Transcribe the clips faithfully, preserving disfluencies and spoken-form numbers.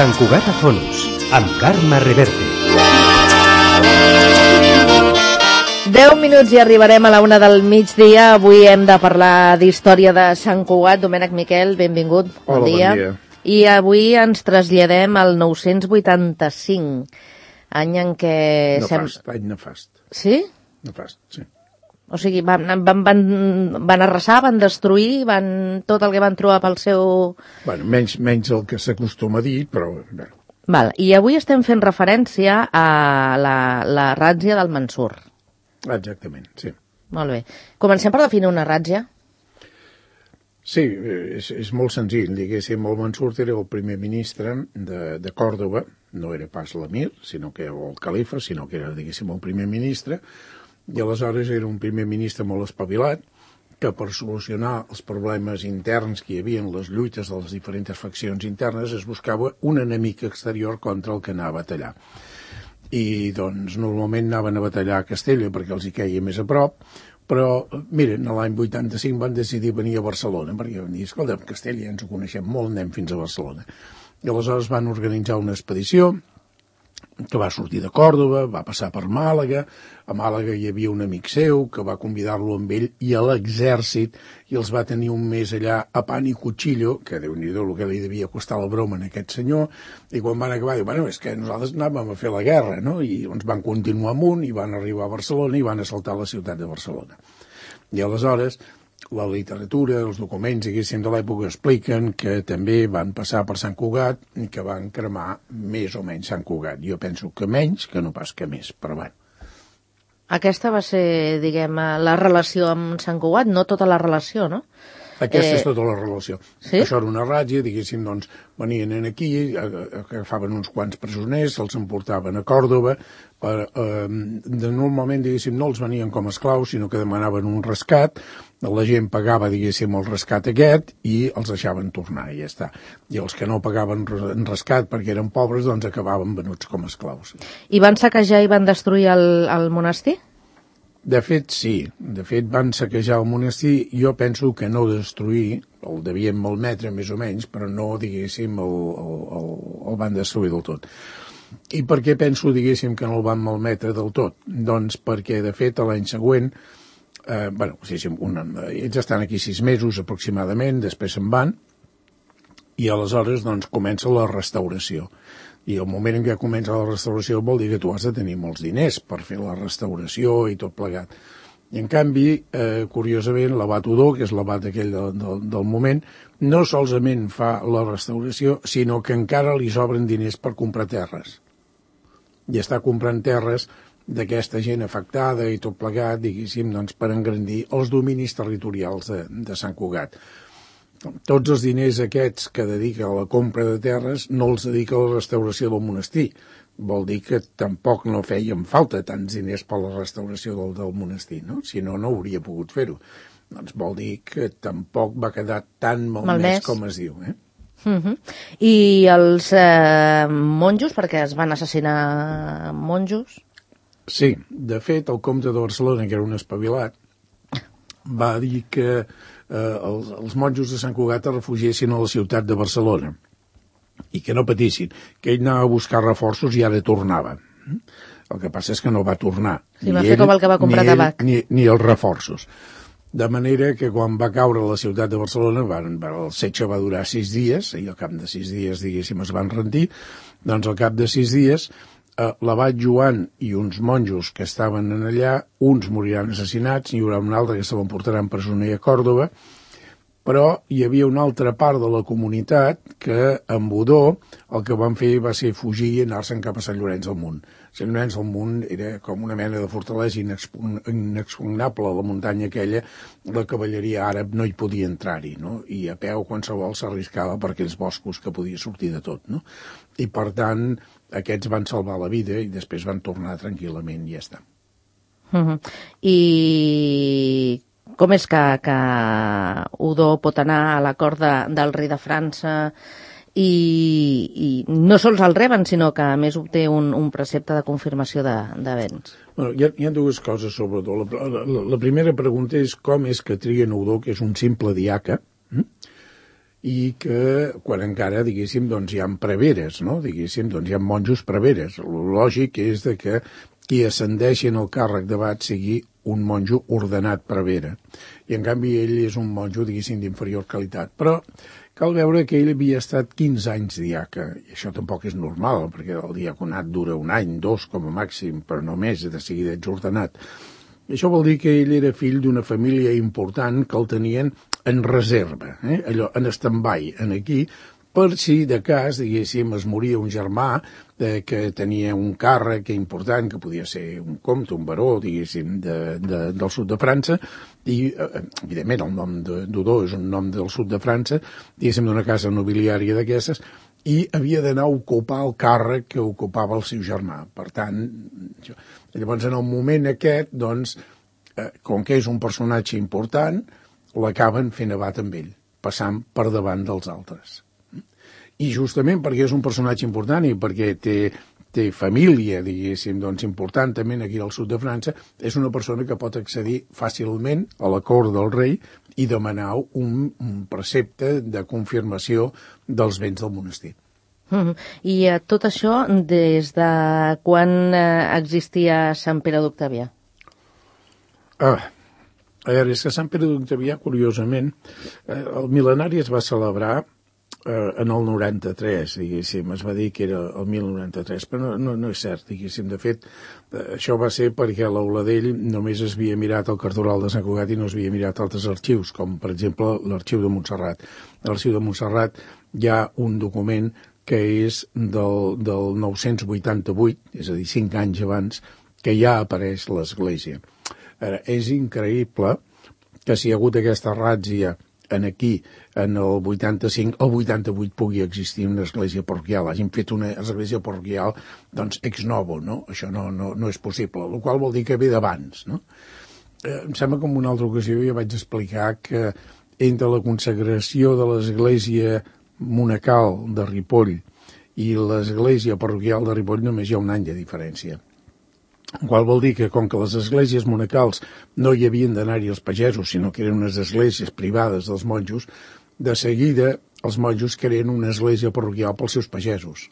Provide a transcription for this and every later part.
Sant Cugat a Fonos, amb Carme Reverte. deu minuts i arribarem a la una del migdia. Avui hem de parlar d'història de Sant Cugat. Domènec Miquel, benvingut. Bon Hola, dia. bon dia. I avui ens traslladem al nou-cents vuitanta-cinc, any en què... Nefast, sem... any nefast. Sí? Nefast, sí. O sigui, van, van, van, van arrasar, van destruir, van tot el que van trobar pel seu... Bueno, menys, menys el que s'acostuma a dir, però... Bé. Val. I avui estem fent referència a la, la ràtzia del Mansur. Exactament, sí. Molt bé. Comencem per definir una ràtzia. Sí, és, és molt senzill. Diguéssim, el Mansur era el primer ministre de, de Còrdova, no era pas l'emir, sinó que era el califa, sinó que era, diguéssim, el primer ministre, i aleshores era un primer ministre molt espavilat, que per solucionar els problemes interns que hi havia en les lluites de les diferents faccions internes es buscava un enemic exterior contra el que anava a batallar. I, doncs, normalment anaven a batallar a Castella perquè els hi queia més a prop, però, miren, l'any vuitanta-cinc van decidir venir a Barcelona, perquè van dir, escolta, a Castella ja ens ho coneixem molt, anem fins a Barcelona. I aleshores van organitzar una expedició que va sortir de Còrdova, va passar per Màlaga. A Màlaga hi havia un amic seu que va convidar-lo amb ell i a l'exèrcit, i els va tenir un mes allà a pan i cuchillo, que déu-n'hi-do el que li devia costar la broma a aquest senyor, i quan van acabar, diu, bueno, és que nosaltres anàvem a fer la guerra, no? I ens van continuar amunt i van arribar a Barcelona i van assaltar la ciutat de Barcelona. I aleshores la literatura, els documents, diguéssim, de l'època expliquen que també van passar per Sant Cugat i que van cremar més o menys Sant Cugat. Jo penso que menys, que no pas que més, però bueno. Aquesta va ser, diguem, la relació amb Sant Cugat, no tota la relació, no? Aquesta eh... és tota la relació. Sí? Això era una ràtzia, diguéssim, doncs, venien aquí, agafaven uns quants presoners, se'ls emportaven a Còrdova, per, eh, de, normalment, diguéssim, no els venien com a esclaus, sinó que demanaven un rescat, la gent pagava, diguéssim, el rescat aquest i els deixaven tornar, i ja està. I els que no pagaven rescat perquè eren pobres, doncs acabaven venuts com a esclaus. I van saquejar i van destruir el, el monestir? De fet, sí. De fet, van saquejar el monestir. Jo penso que no destruir, el devien malmetre més o menys, però no, diguéssim, el, el, el, el van destruir del tot. I per què penso, diguéssim, que no el van malmetre del tot? Doncs perquè, de fet, l'any següent, eh, bueno, diguéssim, una, ells estan aquí sis mesos aproximadament, després se'n van, i aleshores, doncs, comença la restauració. I el moment en què comença la restauració vol dir que tu has de tenir molts diners per fer la restauració i tot plegat. I en canvi, eh, curiosament, l'abat Odó, que és l'abat aquell del, del, del moment, no solament fa la restauració, sinó que encara li sobren diners per comprar terres. I està comprant terres d'aquesta gent afectada i tot plegat, diguéssim, doncs, per engrandir els dominis territorials de, de Sant Cugat. Tots els diners aquests que dedica a la compra de terres no els dedica a la restauració del monestir. Vol dir que tampoc no feien falta tants diners per la restauració del, del monestir, no? Si no, no hauria pogut fer-ho. Doncs vol dir que tampoc va quedar tan malmès com es diu, eh? Uh-huh. I els eh, monjos, perquè es van assassinar monjos? Sí, de fet, el comte de Barcelona, que era un espavilat, va dir que eh, els, els monjos de Sant Cugat es refugiessin a la ciutat de Barcelona i que no patissin, que ell anava a buscar reforços i ara tornava. El que passa és que no va tornar. Sí, va fer com el que va comprar tabac. Ni, ni els reforços. De manera que quan va caure la ciutat de Barcelona, van, el setge va durar sis dies, i al cap de sis dies, diguéssim, es van rendir, doncs al cap de sis dies eh, l'abat Joan i uns monjos que estaven allà, uns moriran assassinats, hi haurà un altre que se l'emportaran presoner a Còrdova, però hi havia una altra part de la comunitat que amb Odó el que van fer va ser fugir i anar-se'n cap a Sant Llorenç del Munt. Sant Llorenç del Munt era com una mena de fortalesa inexpugnable, la muntanya aquella, la cavalleria àrab no hi podia entrar-hi, no? I a peu qualsevol s'arriscava per aquells boscos que podia sortir de tot, no? I per tant aquests van salvar la vida i després van tornar tranquil·lament i ja està. Uh-huh. I com és que, que Odó pot anar a la cort de, del rei de França i, i no sols el reben, sinó que a més obté un, un precepte de confirmació de, de béns? Bueno, hi ha, hi ha dues coses sobre Odó. La, la, la primera pregunta és com és que triguen Odó, que és un simple diaca, hm? i que quan encara, diguéssim, doncs hi ha preveres, no? Diguéssim, doncs hi ha monjos preveres. El lògic és de que qui ascendeixi en el càrrec d'abat sigui un monjo ordenat prevere. I en canvi ell és un monjo, diguéssim, d'inferior qualitat. Però cal veure que ell havia estat quinze anys diaca, i això tampoc és normal, perquè el diaconat dura un any, dos com a màxim, però no més, de seguida ets ordenat. I això vol dir que ell era fill d'una família important que el tenien en reserva, eh? Allò, en stand-by, en aquí, per si de cas, diguéssim, es moria un germà eh, que tenia un càrrec important, que podia ser un comte, un baró, diguéssim, de, de, del sud de França, i, eh, evidentment, el nom d'Odó és un nom del sud de França, diguéssim, d'una casa nobiliària d'aquestes, i havia d'anar a ocupar el càrrec que ocupava el seu germà. Per tant, llavors, en el moment aquest, doncs, eh, com que és un personatge important, l'acaben fent abat amb ell, passant per davant dels altres. I justament perquè és un personatge important i perquè té, té família, diguéssim, doncs important també aquí al sud de França, és una persona que pot accedir fàcilment a la cort del rei i demanar un, un precepte de confirmació dels béns del monestir. Mm-hmm. I eh, tot això des de quan eh, existia Sant Pere d'Octavià? Ah, a veure, és que Sant Pere d'Octavià, curiosament, eh, el mil·lenari es va celebrar en el noranta-tres, diguéssim, es va dir que era el mil noranta-tres, però no, no, no és cert, diguéssim. De fet, això va ser perquè l'Auladell només es havia mirat el cartoral de Sant Cugat i no es havia mirat altres arxius, com per exemple l'arxiu de Montserrat. A l'arxiu de Montserrat hi ha un document que és del, del nou-cents vuitanta-vuit, és a dir, cinc anys abans, que ja apareix l'església. Ara, és increïble que si hi ha hagut aquesta ràtzia en aquí, en el vuitanta-cinc, el vuitanta-vuit pugui existir una església parroquial. Hagin fet una església parroquial, doncs, ex novo, no? Això no, no, no és possible, el qual vol dir que ve d'abans, no? Eh, em sembla que en una altra ocasió ja vaig explicar que entre la consagració de l'església monacal de Ripoll i l'església parroquial de Ripoll només hi ha un any de diferència. El qual vol dir que, com que les esglésies monacals no hi havien d'anar-hi els pagesos, sinó que eren unes esglésies privades dels monjos, de seguida els monjos creen una església parroquial pels seus pagesos,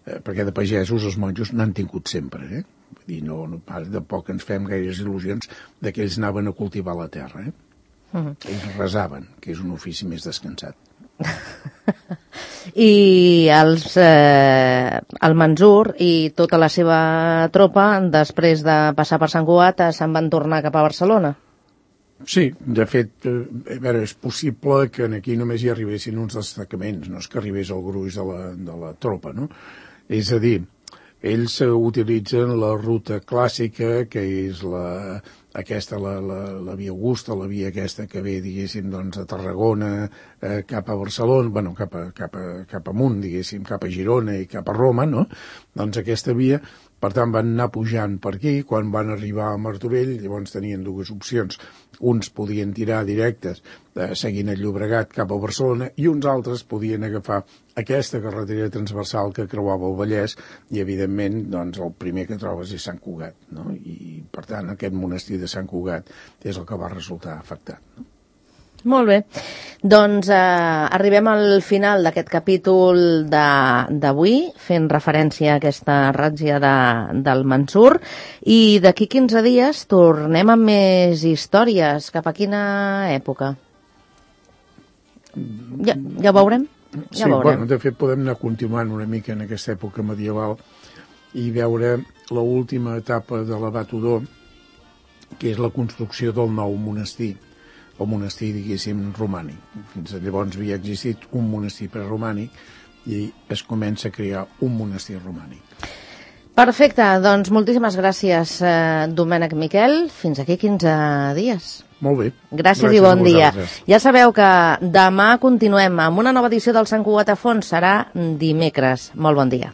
eh, perquè de pagesos els monjos n'han tingut sempre. Eh? Vull dir, no, no, tampoc ens fem gaires il·lusions de que ells anaven a cultivar la terra. Eh? Uh-huh. Ells resaven, que és un ofici més descansat. I els, eh, el Mansur i tota la seva tropa, després de passar per Sant Cugat, se'n van tornar cap a Barcelona? Sí, de fet, eh, a veure, és possible que aquí només hi arribessin uns destacaments, no és que arribés el gruix de la, de la tropa, no? És a dir, ells utilitzen la ruta clàssica, que és la, aquesta, la, la, la via Augusta, la via aquesta que ve, diguéssim, doncs, a Tarragona, eh, cap a Barcelona, bueno, cap, a, cap, a, cap amunt, diguéssim, cap a Girona i cap a Roma, no? Doncs aquesta via, per tant, van anar pujant per aquí. Quan van arribar a Martorell, llavors tenien dues opcions. Uns podien tirar directes, eh, seguint el Llobregat cap a Barcelona, i uns altres podien agafar aquesta carretera transversal que creuava el Vallès, i, evidentment, doncs, el primer que trobes és Sant Cugat, no? I, per tant, aquest monestir de Sant Cugat és el que va resultar afectat, no? Molt bé. Doncs eh, arribem al final d'aquest capítol d'avui, fent referència a aquesta ràtzia de, del Mansur, i d'aquí quinze dies tornem amb més històries. Cap a quina època? Ja, ja ho veurem? Ja sí, veurem. Bueno, de fet podem anar continuant una mica en aquesta època medieval i veure l'última etapa de l'abat Odó, que és la construcció del nou monestir, el monestir, diguéssim, romànic. Fins llavors havia existit un monestir preromànic i es comença a crear un monestir romànic. Perfecte, doncs moltíssimes gràcies, eh, Domènec Miquel. Fins aquí quinze dies. Molt bé. Gràcies, gràcies i bon dia. Ja sabeu que demà continuem amb una nova edició del Sant Cugat a Fons. Serà dimecres. Molt bon dia.